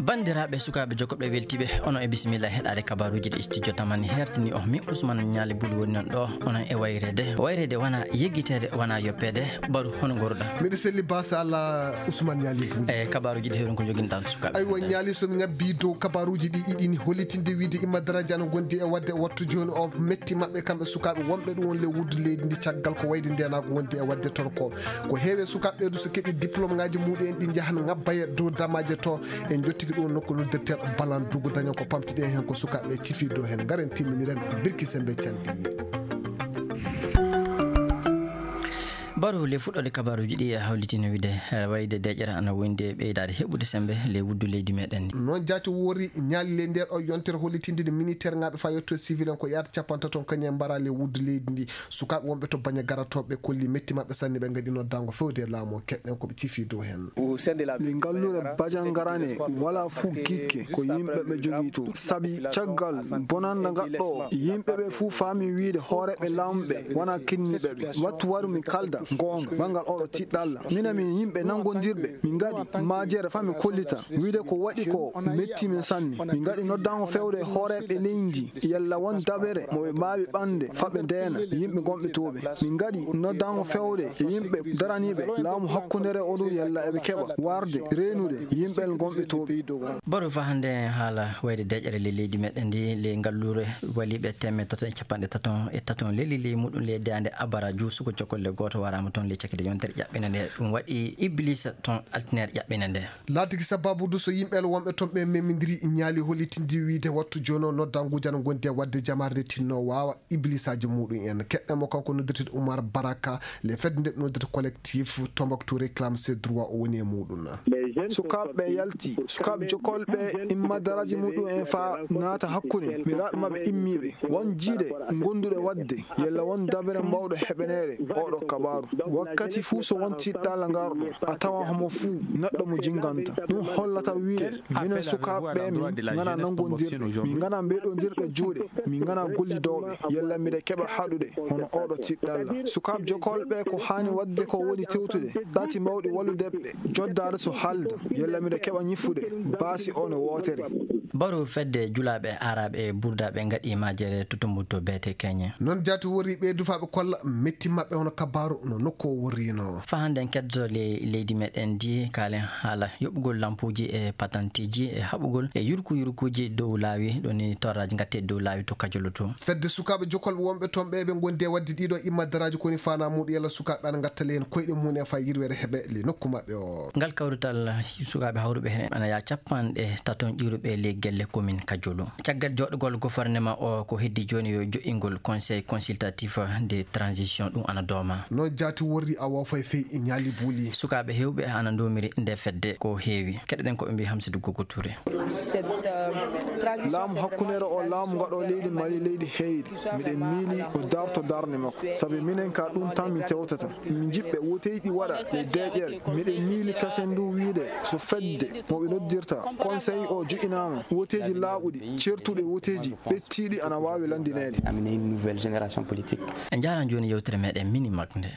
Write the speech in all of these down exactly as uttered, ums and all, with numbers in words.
Banndiraaɓe sukaaɓe jokkooɓe weltiiɓe, onon e bisimilla heɗaade kabaaruuji ɗi studio Tamani hertini o. Min Ousmane Ñaali Buli woni noon ɗo, onon e wayreede. Wayreede wona yeggiteede, wona yoppeede. Baru, hono ngooruɗaa? Miɗo selli, baasa Allah, Ousmane Ñaali Buli. E kabaaruuji ɗi, heɗon ko njoginɗaa sukaaɓe? Aywa, Ñaali, so mi ngabbii dow kabaaruuji ɗi, iɗini hollitinde wiyde imma daraaji ana ngondi e waɗde e wattu jooni o metti maɓɓe kamɓe sukaaɓe wonɓe ɗum won ley wuddu leydi ndi caggal ko wayde ndeenaagu wondi e waɗde toon ko. Ko heewi e sukaaɓe ɓee du so keɓii diplôme ngaaji muɗum en ɗi njahan ngabba e dow damaaje to. En jottiki ɗum nokku noddirteeɗo Balan Dugu daña ko pamtiɗen heen ko sukaaɓe cifii dow heen. Ngaren timminiren Bilki Semmbe Canɗi. Baru, le fuɗɗoode kabaaruuji ɗi e hawlitino wiyde, eh, wayde deeƴere ana wondi e ɓeydaade heɓude semmbe le wuddu leydi meɗen ndi. Noon jaati woori Ñaali ley nder o yontere hollitinde nde militaire ŋaaɓe faa yetto civil en ko yaata capantato kañum en mbara le wuddu leydi ndi. Sukaaɓe wonɓe to Baña garatooɓe kolli metti maɓɓe sanne, ɓe ngaɗi noddaango fewde e laamu o, keɗɗen ko ɓe cifii dow heen. Ɗi ngallure Bajangarane wala fuu gikke ko yimɓe ɓe jogii to. Sabi caggal bonannda ngaɗɗo o, yimɓe ɓe fuu faami wiyde hooreeɓe laamu ɓe wona kinniiɓe ɓe. Wattu waru mi kalda goonga banngal oɗo tiɗɗalla. Minen min yimɓe nanngondirɓe, min ngaɗi majere faa mi kollita wiyde ko waɗi ko metti min sanne. Min ngaɗi noddaango fewde e hooreeɓe leydi ndi. Yalla won dabere mo ɓe mbaawi ɓande faa ɓe ndeena yimɓe gonɓe to ɓe. Min ngaɗi noddaango fewde e yimɓe daraniiɓe laamu hakkundeere o du yalla eɓe keɓa warde reenude yimɓe gonɓe to ɓe. Baru, faa hannde haala wayde deeƴere ley leydi meɗen ndi, ley ngalluure waliiɓe teemeɗɗe tato e capanɗe tato e tato leli ley muɗum ley daande Abaraju, suka jokolle gooto waraama toon ley cakkite yontere ƴaɓɓinde nde. Ɗum waɗi Iblisa toon altineere ƴaɓɓinde nde. Laatiki sababu du so yimɓe wonɓe toon ɓe memindiri Ñaali hollitindi wiyde wattu jooni o noddaanguuji ana ngondi e waɗde jamaare nde tinno waawa iblisaaji muɗum en. Keɗɗen mo, kanko noddirteeɗo Umar Baraka, le fedde nde ɓe noddirta collectif Tombouctou réclame ses droits o woni e muɗum. Sukaaɓe ɓe yalti, sukaaɓe jokolɓe imma daraaji muɗum en faa naata hakkunde miiraaɓe maɓɓe immiiɓe. Won jiiɗe gonduɗe waɗde, yalla won dabere mbawɗo heɓaneede oɗo kabaaru. Wakkati fuu so won tiɗɗalla ngarɗo, a tawa homo fuu neɗɗo mo jinganta. Ɗum hollata wiyde minen sukaaɓe ɓe min ngana nanngondirɓe, min ngana mbeɗondirɓe juuɗe, min ngana gollidooɓe, yalla miɗa keɓa haɗude hono oɗo tiɗɗalla. Sukaaɓe jokolɓe ko haani waɗde ko woni tewtude ɗati mawɗi wallude ɓe, joddaade so haalda, yalla miɗa keɓa ñiffude baasi o no wootere. Baru, fedde julaaɓe aaraaɓe e burdaaɓe ngaɗi majere to Tumbuktu beete Keñe. Noon jaati worri ɓe dufaaɓe kolla metti maɓɓe hono kabaaru no nokku o worrino. Faa hannde en keddoto le-, leydi meɗen ndi, kaalen haala yoɓugol lampuuji e patanteeji e haɓugol e yurku yurkuuji dow laawi, ɗo ni torraaji ngatte dow laawi to Kajolo to. Fedde sukaaɓe jokolɓe wonɓe toon ɓe ɓe ngondi e waɗde ɗiɗo imma daraaji ko woni faanaa muɗum yalla sukaaɓe ana ngatta le heen koyɗe mum en faa yirwere heɓe le nokku maɓɓe o. Ngal kawrital sukaaɓe hawruɓe heen ana yaa capanɗe tato ƴiwruɓe le gelle commune Kajolo. Caggal jooɗogol gouvernement o ko heddi jooni yo joɗɗingol conseil consultatif de transition ɗum ana dooma. Noon jaati worri Awa Fay Fay e Ñaali Buuli. Sukaaɓe heewɓe ana ndomiri nde fedde ko heewi. Keɗoɗen ko ɓe mbii Hamsidou Gogo Touré. Laamu hakkundeere o laamu ngaɗo leydi Mali leydi heyri. Miɗen miili o darto darnde makko. Sabi minen ka ɗum tan min tewtata. Min jiɓɓe woteeji ɗi waɗa ɗe deeƴere. Miɗen miili kasen du wiide so fedde mo ɓe noddirta conseil o joƴinaama, woteeji laaɓuɗi, certuɗe woteeji ɓettiiɗi ana waawi lanndineede. Amener une nouvelle génération politique. En njaaran jooni yewtere meɗen Mini Mag nde.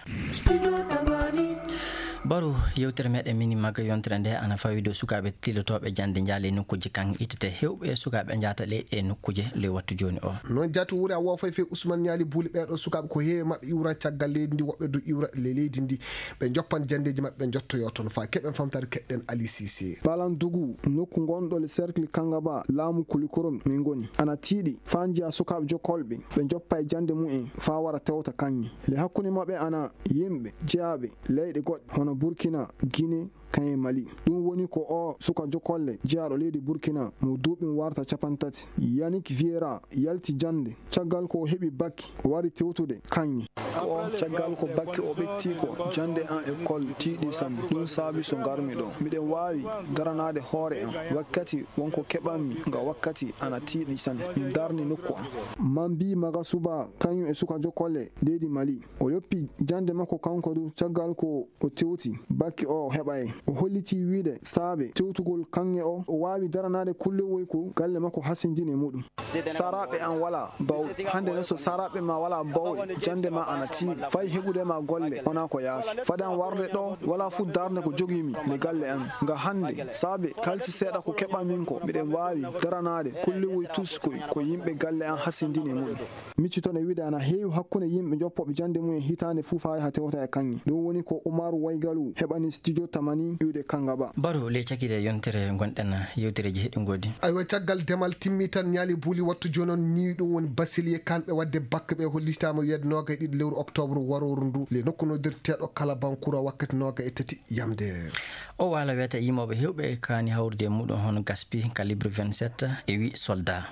Baru, yewtere meɗen Mini Mag yontere nde ana fawi dow sukaaɓe tilotooɓe jannde njaale e nokkuuji kan ittete heewɓe sukaaɓe njaata ley e nokkuuje ley wattu jooni o. Noon jaati wuri Awa Fay Fay Ousmane Ñaali Buuli ɓeeɗo sukaaɓe ko heewi maɓɓe iwran caggal leydi ndi, woɓɓe du iwra le leydi ndi. Ɓe njoppan janndeeji maɓɓe, njottoyoo toon faa keɓen famtaare keɗɗen Alii Siise. Balan Dugu, nokku ngonɗo le cercle Kangaba, laamu Kulikorom min ngoni. Ana tiiɗi faa njiya sukaaɓe jokolɓe, ɓe njoppa e jannde mumen faa wara tewta kaŋŋe. Le hakkunde maɓɓe ana yimɓe jeyaaɓe leyɗe goɗɗe, hono Burkina, Gine, kaŋŋe Mali. Ɗum woni ko o suka jokolle jeyaaɗo leydi Burkina mo duuɓi warta capantati, Yannick Vieira, yalti jannde. Caggal ko o heɓi bakki, o wari tewtude kaŋŋe. Ko o, caggal ko bakki o ɓetti ko, jannde an école tiiɗi sanne. Ɗum saabi so ngarmi ɗo. Miɗen waawi daranaade hoore am wakkati won ko keɓanmi nga wakkati ana tiiɗi sanne. Mi darni nokku am. Mambi Magasuba, kañum e suka jokolle leydi Mali. O yoppi jannde makko kanko du, caggal ko o tewti bakki o heɓaay. O hollitii wiide saabe tewtugol kaŋŋe o, o waawi daranaade kullowoy ko galle makko hasindini e muɗum. Saraaɓe am walaa bawɗe. Hannde ne so saraaɓe ma walaa bawɗe, jannde ma ana Si fay heɓude ma golle wonaa ko yaafi. Fade an warde ɗo, walaa fuu darnde ko jogii mi le galle an. Nga hannde, saabe kalsi seeɗa ko keɓa min ko, miɗen waawi daranaade kulliwoy tus koy ko yimɓe galle an hasindini e mumen. Micci toon e wiide ana heewi hakkunde yimɓe joppooɓe jannde mumen hitaande fuu faa yaha tewta e kaŋŋe. Ɗum woni ko Umaru Waygalu heɓani Studio Tamani iwde Kangaba. Baru ley cakiiɗe yontere ngonɗen yewtereeji heɗɗi ngoodi. Aywa, caggal demal timmi tan ñaali buuli wattu jooni on ni ɗum woni Basilier Kan ɓe waɗde bakke ɓe hollitaama wiyde noogay ɗiɗi lewru octobre warooru ndu le nokku noddirteeɗo Kalabankura wakkati noogay e tati yamde. O waala wiyata yimooɓe heewɓe kaani hawrude e muɗum hono Gaspi, Calibre vingt-sept e wi soldat.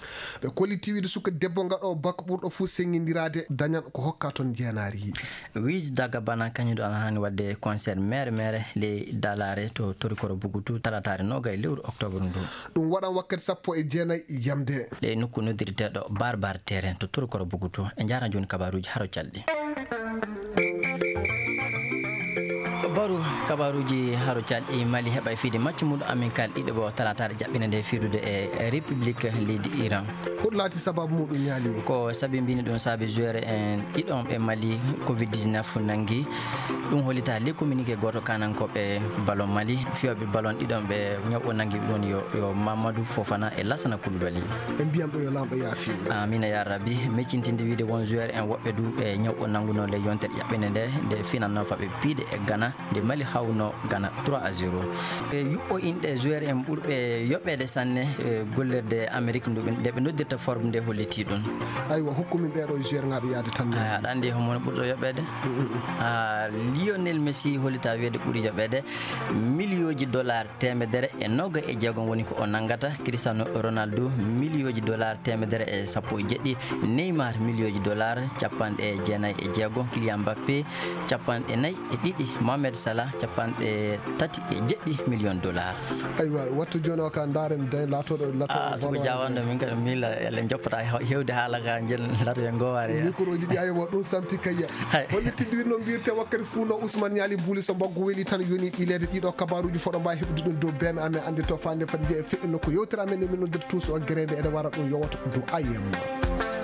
Ɓe kolliti wiyde suka debbo ngaɗo bak ɓurɗo fuu senngindiraade dañan ko hokka toon jeenaari. Wiis Daga Bana kañum ɗo ana haani waɗde concert mere mere ley Dalaare to Torikoro Bugutu talataare noogay lewru octobre ndu. Ɗum waɗan wakkati sappo e jeenay yamde. Ɗe nokku noddirteeɗo Barbar Terrain to Torikoro Bugutu. E njaarna jooni kabaruuji haro calɗi. Baru kabaruuji haro calɗi Mali heɓa e fiide maccu muɗum amin kal ɗiɗo bo talataare jaɓɓine nde fiidude e République leydi Iran. Ko ɗum laati sababu muɗum ñaali? Ko sabi mbini ɗum saabi joueur en ɗiɗon ɓe Mali covid dix-neuf nanngi. Ɗum hollita le communiqué gooto kanankooɓe ballon Mali. Fiyooɓe ballon ɗiɗon ɓe ñaw o nanngi ɗum yo, yo Mamadou Fofana e Lassana Coulibaly. En mbiyan ɓe yo Laamɗo yaafin. Amina ya Rabbi. Meccintinde wiide won joueur en woɓɓe du ɓe ñaw o nanngunoo le yontere ƴaɓɓende nde, nde finannoo faɓe piide e Ghana. Nde Mali hawno Ghana trois à zéro. E yuɓɓo inɗe joueur en ɓurɓe yoɓeede sanne, e gollirde Amérique ndu ɓe, nde ɓe noddirta Forbes nde hollitii ɗum. Aywa, hokku min ɓeeɗo joueur ŋaaɓe yaade tan. A, aɗa anndi homo ɓurɗo yoɓeede? Mm, mm, mm. A, Lionel Messi hollita wiyeede ɓuri yoɓeede miliyooji dollar teemedere e noga e jeegom woni ko o nanngata. Cristiano Ronaldo miliyooji dollar teemedere e sappo e jeɗɗi. Neymar miliyooji dollar capanɗe jeenay e jeegom. Kylian Mbappé capanɗe nayi e ɗiɗi, Mohamed Salah capanɗe tati e jeɗɗi million dollar. Aywa, wattu jooni o ka ndaaren day laatoɗo, laatoɗo. Ah, so ko ballon jawande min kadi miila ele joppata hew-, hewde haala ka jel lato e ngowaare. Micro ji ɗi aywa ɗum samti kayya. Hay. Holli tiddi winno mbirte wakkati fuu no Ousmane Ñaali Buuli so mbaggu weli tan yoni ɓileede ɗiɗo kabaruuji foɗo mbawi heɓde ɗum dow B M amen ande to fande fat jeeya feɗɗino ko yewtere amen e min noddirta tuuso o gerede ene wara ɗum yowata dow I M.